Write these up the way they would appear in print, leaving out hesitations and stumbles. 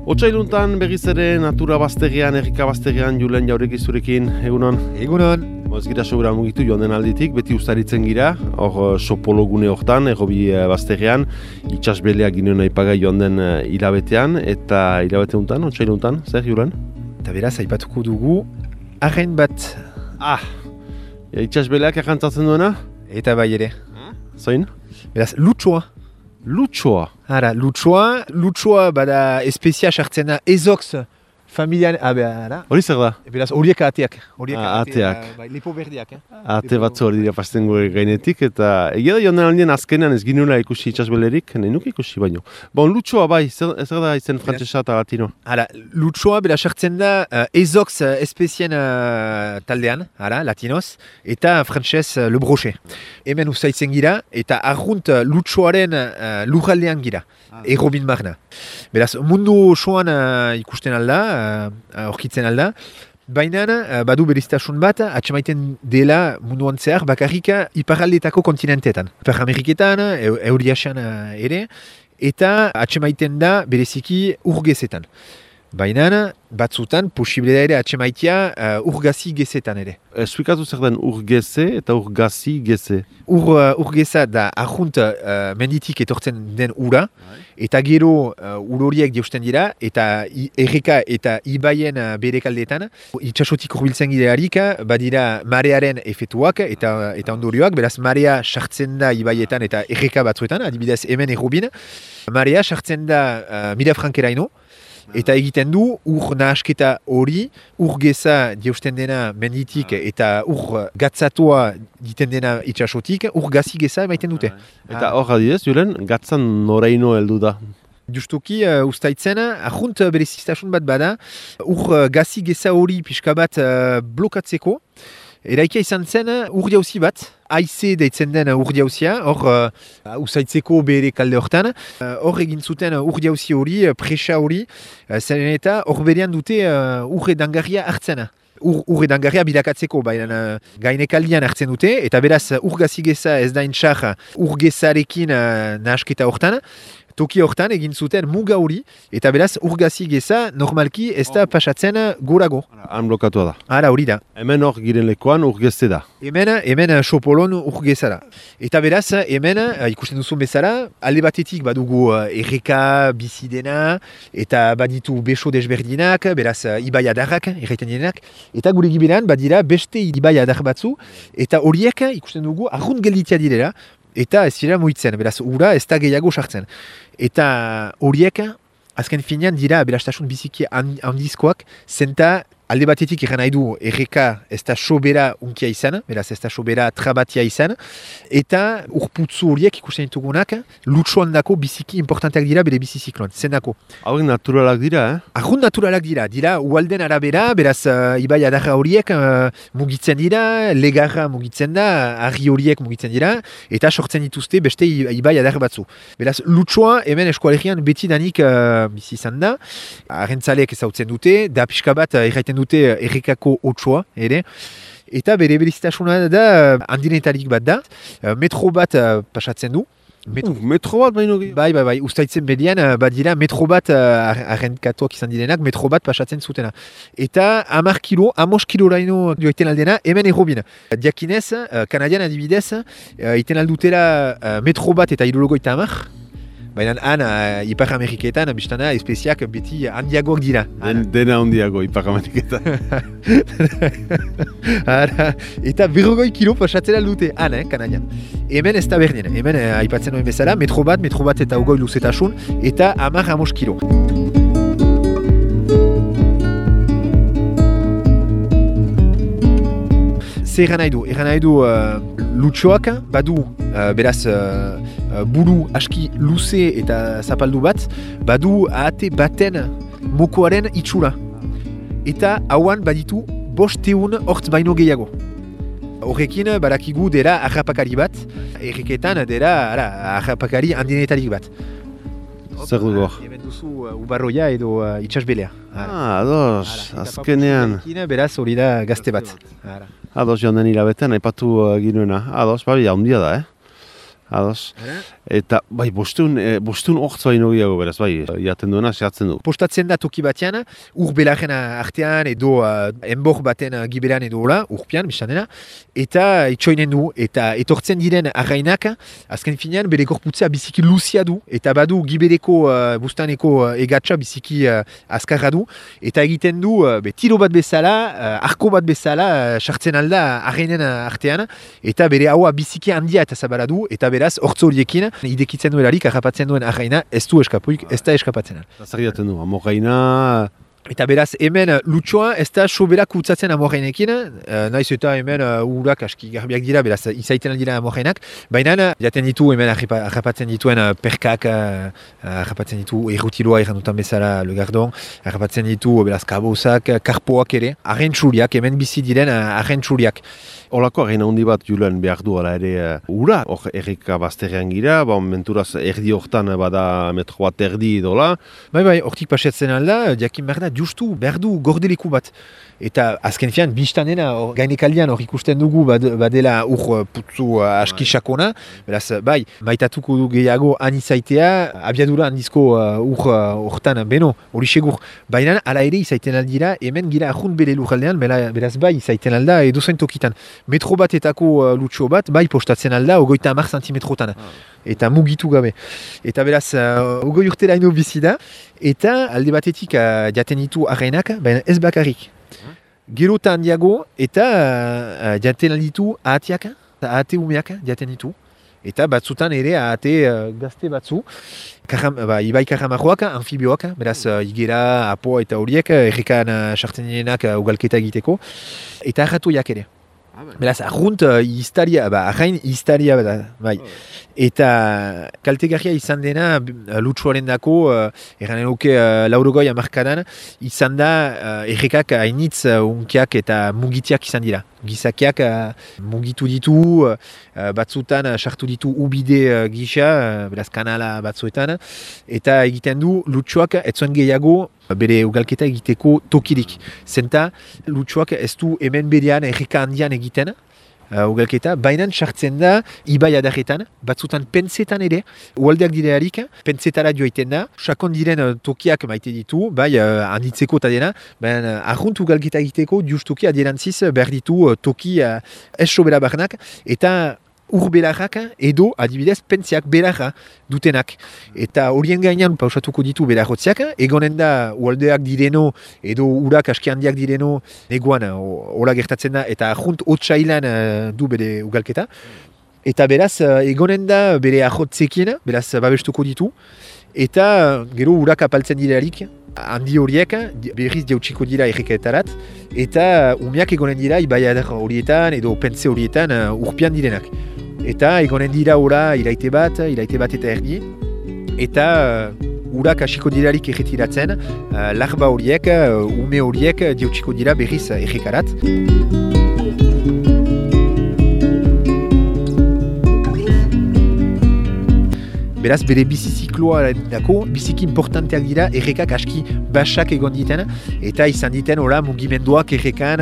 Otsailuntan berriz ere natura baztegian, errika baztegian, Julen Jauregi zurekin, egunon? Egunon. Ez gira sobera mugitu joan den alditik, beti ustaritzen gira, hor sopologune hortan, errobi baztegian, itsasbeleak ginen aipagai joan den hilabetean, eta hilabete untan, otsailuntan, zer Julen? Eta beraz, aipatuko dugu, arrain bat. Itsasbeleak errantzatzen duena? Eta bai ere. Zoin? Beraz, lutsoa. Lutsoa? Hara, lutsoa bada espezia sartzen da ezox familian, hara. Hori zer da? Beraz, horiek ateak. Ateak. Lepo berdiak. Ate batzu hori dira pasten gure gainetik, eta egia da joan den aldien azkenean ez ginula ikusi itsasbelerik, nahi nuke ikusi baino. Bon, lutsoa bai, zer da izen frantsesa eta latino? Hara, lutsoa beraz sartzen da ezox espezien taldean, hara, latinoz, eta frantses le brochet. Hemen ustaitzen gira, eta arrunt lutsoaren lurraldean gira, errobin marna. Beraz, mundu osoan ikusten alda, aurkitzen alda, baina badu beriztasun bat, atxemaiten dela munduan zehar, bakarrik iparraldetako kontinentetan. Ipar Ameriketan, Euriasian ere, eta atxemaiten da bereziki urgezetan. Baina batzutan posible da ere atxemaitia urgazi gezetan ere. Esplикatu zer den urgeze eta urgazi geze? Urgeza da arrunt menditik etortzen den ura, eta gero ur horiek jausten dira, eta erreka eta ibaien berekaldetan. Itxasotik hurbiltzen gidearik, badira marearen efetuak eta ondorioak, beraz marea sartzen da ibaietan eta erreka batzuetan, adibidez hemen errobin. Marea sartzen da Milafrankeraino, eta egiten du ur nahasketa hori, ur geza jausten dena menditik eta ur gatzatua egiten dena itxasotik, ur gazi geza emaiten dute. Eta hor adidez, Julen, gatzan noraino heldu da? Justuki ustaitzen, ahunt bereziztasun bat bada, ur gazi geza hori pixka bat blokatzeko, eraikia izan zen ur jauzi bat, aize deitzen den ur jauzia, hor usaitzeko bere kalde hortan. Hor egin zuten ur jauzi hori, presa hori, zeren eta hor berean dute ur edangarria hartzen. Ur edangarria bilakatzeko, baina gainekaldian hartzen dute, eta beraz ur gazigeza ez da intxar ur gezarekin nahasketa hortan, toki hortan egin zuten muga hori, eta beraz urgazi geza normalki ez da pasatzen gorago. Han blokatua da. Hala hori da. Hemen hor giren lekuan urgezte da. Hemen sopolon urgeza da. Eta beraz hemen ikusten duzun bezala, alde batetik badugu erreka bizidena, eta baditu beso desberdinak, beraz ibai adarrak, erraiten dienak, eta gure giberan badira beste ibai adar batzu, eta horiek ikusten dugu arrunt gelditia direla, eta ez dira muitzen, beraz, ura ez da gehiago sartzen. Eta horiek, azken finean dira aberastasun biziki handizkoak, zenta alde batetik egan nahi du erreka ez da sobera unkia izan, beraz ez da sobera trabatia izan, eta urputzu horiek ikusten ditugunak, lutsoan dako biziki importanteak dira bere bizizikloan, zendako. Hauek naturalak dira, Arrunt naturalak dira ualden arabera, beraz ibai adarra horiek mugitzen dira, legarra mugitzen da, argi horiek mugitzen dira, eta sortzen dituzte beste ibai adar batzu. Beraz, lutsoa hemen eskualegian beti danik bizi izan da, arrentzaleek ezautzen dute, da pixka bat erraiten dute errekako otsoa ere, eta bere berezitasuna da handinetarik bat da, metro bat pasatzen du. Metro bat baino gehiago? Bai, ustaitzen bedian badira metro bat arrenkatuak izan direnak, metro bat pasatzen zutena. Eta 10 kilo, 15 kiloraino joiten aldena, hemen errobin. Diakinez, Kanadian adibidez, iten aldutela metro bat eta 70. Baina han, Ipar Ameriketan, biztana, espeziak beti handiagoak dira. Dena handiago, Ipar Ameriketan. Eta 40 kilo pasatzera dute han, Kanadian. Hemen ez da berdin, hemen aipatzen nuen bezala, metro bat eta 20 luzetasun, eta 10-15 kilo. Zer eran nahi du lutsoak, badu beraz buru aski luze eta zapaldu bat, badu ahate baten mokoaren itxura. Eta hauan baditu 500 hortz baino gehiago. Horrekin badakigu dela harrapakari bat, erreketan dela harrapakari handinetarik bat. Zer dugu hor? Hemen duzu ubarroia edo itxasbelea. Ados, azkenean. Beraz hori da gazte bat. Ados, joan den hilabetean, aipatu ginuena. Ados, babi, handia da, Ados. Eta, bai, bostun ortz baino gehiago beraz, bai, jaten duena, sehatzen du. Postatzen da toki batean, ur belaren artean edo enbor baten giberan edo hola, urpian, bizan dena, eta itxoinen du, eta etortzen diren arrainak, azken finean, bere gorputzea biziki luzia du, eta badu gibereko bustaneko egatxa biziki azkarra du, eta egiten du, tiro bat bezala, arko bat bezala, sartzen alda arrainen artean, eta bere haua biziki handia eta zabara du, eta beraz, hortz horiekin, idekitzen duelarik, harrapatzen duen arraina, ez du eskapuik, ez da eskapatzen. Zer jaten du, amorraina... Eta beraz, hemen lutsoa ez da soberak utzatzen amorrainekin, naiz eta hemen urak aski garbiak dira, beraz, izaiten dira amorrainak, baina jaten ditu hemen harrapatzen dituen perkak, harrapatzen ditu errutiloa errandutan bezala Le Gardon, harrapatzen ditu beraz kabozak, karpoak ere, arrentsuriak, hemen bizi diren arrentsuriak. Olako arraina handi bat Julen behar du ala ere ura, hor erreka bazterrean gira, menturaz erdi hortan bada metro bat erdi dola. Bai, hortik pasetzen alda, jakin behar da, justu behar du gordeliku bat. Eta azken fian, biztanena, gainekaldian hor ikusten dugu badela putzu aski sakona, beraz, bai, maitatuko du gehiago anizaitea, abiadura handizko hortan, beno, hori segur. Baina, ala ere izaiten aldira, hemen gira ahunt bere lujaldean, beraz, bai, izaiten alda edozain tokitan. Metro batetako lutxo bat, bai, postatzen alda, 30 zentimetrotan. Eta mugitu gabe. Eta beraz, 20 urtera ino bizi da, eta alde batetik jaten ditu arrainak, baina ez bakarrik. Gero eta handiago, eta jaten alditu ahatiak, ahate umeak jaten ditu. Eta batzutan ere ahate gazte batzu, ibai karramarroak, amfibioak, beraz igera, apo eta horiek, errekan sartzen direnak ugalketa egiteko, eta arratuiak ere. Beraz, arrunt arrain iztaria da, bai. Eta kaltegarria izan dena lutsuaren dako, erranen luke laurogoi amarkadan, izan da errekak hainitz unkiak eta mugitiak izan dira. Gizakiak mugitu ditu, batzutan sartu ditu ubide gisa, beraz kanala batzuetan, eta egiten du lutsuak etzuen gehiago bere ugalketa egiteko tokirik. Zenta lutsuak ez du hemen berean erreka handian egiten, ugalketa, baina sartzen da ibai adarretan, batzutan pentsetan ere, ualdeak direarik, pentsetara joaiten da, sakon diren tokiak maite ditu, bai handitzeko eta dena, baina arrunt ugalketa egiteko justuki adierantziz behar ditu toki ez sobera barnak, eta ur belarrak edo adibidez pentziak belarra dutenak. Eta horien gainean pausatuko ditu belarrotziak, egonen da ualdeak direno edo urak aski handiak direno neguan hola gertatzen da, eta junt hotsailan du bere ugalketa. Eta beraz, egonen da bere ahotzekin, beraz babestuko ditu, eta gero urak apaltzen direarik, handi horiek berriz jautsiko dira erreketarat, eta umeak egonen dira ibai adar horietan edo pentze horietan urpian direnak. Eta egonen dira ora iraite bat eta erdi, eta urak hasiko dirarik erretiratzen, larba horiek, ume horiek jautsiko dira berriz errekarat. Beraz, bere bizizikloa dako, biziki importanteak dira errekak aski basak egon diten, eta izan diten mugimenduak errekan,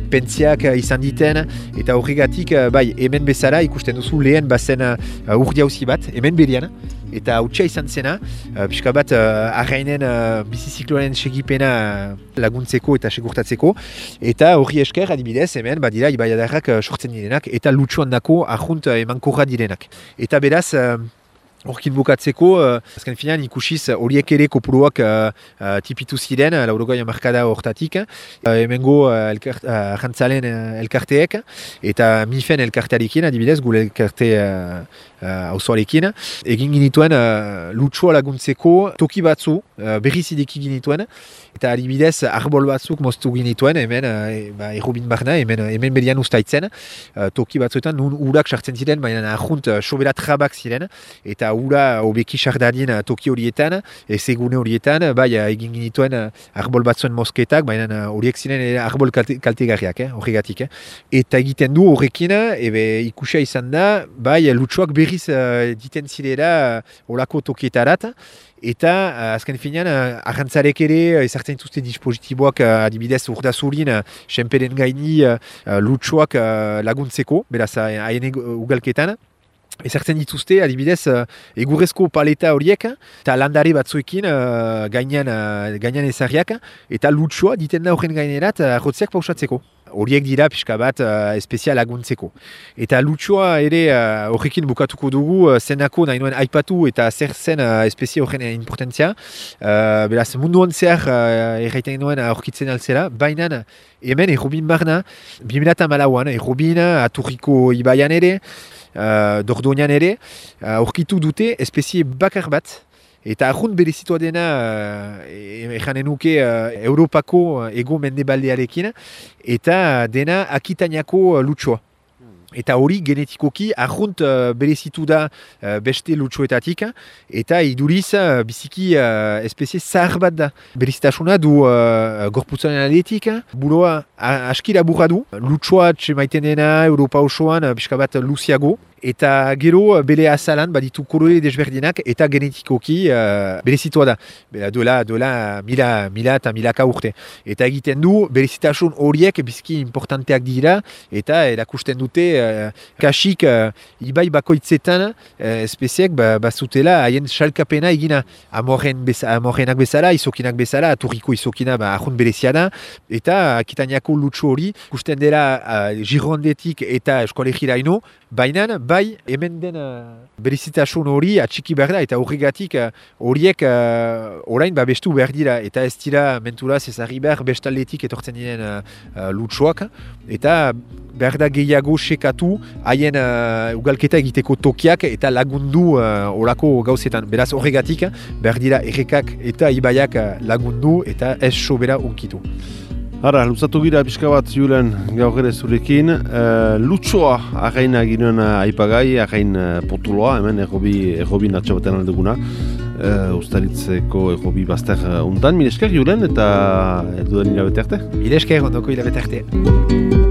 pentziak izan diten, eta horregatik, bai, hemen bezala ikusten duzu lehen bazen urdiauzi bat, hemen berian, eta hautsa izan zena, pixka bat arrainen bizizikloaren segipena laguntzeko eta segurtatzeko, eta horri esker adibidez hemen badira ibaiadarrak sortzen direnak, eta lutsuan dako arrunt emankorra direnak. Eta beraz, horkin bukatzeko, azken finean ikusiz horiek ere kopuruak tipitu ziren, laurogoi amarkada hortatik, hemengo jantzalen elkarteek, eta mifen elkartearekin, adibidez, gure elkarte auzoarekin, egin ginituen lutsua laguntzeko toki batzu, berriz ideki ginituen, eta adibidez arbol batzuk moztu ginituen, hemen errobin barna, hemen berian ustaitzen, toki batzuetan nun urak sartzen ziren, baina ahunt sobera trabak ziren, eta ura hobeki sardadien toki horietan, ezegune horietan, bai egin ginituen arbol batzuen mosketak, baina horiek ziren arbol kaltegarriak, horregatik. Eta egiten du horrekin, ikusia izan da, bai lutsuak berriz diten zirela olako tokietarat, eta azken finean, arrantzarek ere ezartzen dituzte dispositiboak adibidez urdazurin, senperen gaini lutsuak laguntzeko, beraz haien ugalketan. Ezartzen dituzte, adibidez, egurrezko paleta horiek, eta landare batzuekin gainean ezarriak, eta lutsua diten da horren gainerat jotzeak pausatzeko. Horiek dira pixka bat espezia laguntzeko. Eta lutsua ere horrekin bukatuko dugu zenako nahi nuen aipatu eta zer zen espezia horren importantzia. Beraz, munduan zehar erraiten nuen aurkitzen altzera, baina hemen errobin barna, 2008an errobin Aturriko ibaian ere, Dordoñan ere, aurkitu dute espezie bakar bat, eta arrunt berezitua dena erranen nuke Europako ego mendebaldearekin, eta dena Akitaniako lutsua. Eta hori genetikoki arrunt berezitu da beste lutsuetatik, eta iduriz biziki espezie zahar bat da. Berezitasuna du gorputzaren aldetik, buloa aski laburra du, lutsua txemaiten dena Europa osoan pixka bat luziago, eta gero bere azalan baditu kolore desberdinak eta genetikoki berezitua da. Duela mila eta milaka urte. Eta egiten du berezitasun horiek bizki importanteak dira eta erakusten dute kasik ibai bakoitzetan espeziek bazutela haien salkapena egina amorrenak bezala, izokinak bezala, Aturriko izokina ahun berezia da, eta Akitaniako lutsu hori ikusten dela Girondetik eta Eskolegiraino, baina bai hemen den berezitasun hori atxiki behar da, eta horregatik horiek orain bestu behar dira, eta ez dira menturaz ezarri behar bestaldetik etortzen diren lutsuak, eta behar da gehiago sekatu haien ugalketa egiteko tokiak eta lagundu orako gauzetan. Beraz horregatik behar dira errekak eta ibaiak lagundu eta ez sobera unkitu. Hara, luzatu gira pixka bat Julen gaur ere zurekin. Lutsua arraina ginen aipagai, arrain potuloa, hemen errobi natxa batean aldeguna. Ustaritzeko errobi bazter untan. Mil esker Julen eta edu den hilabete arte? Mil esker ondoko hilabete arte.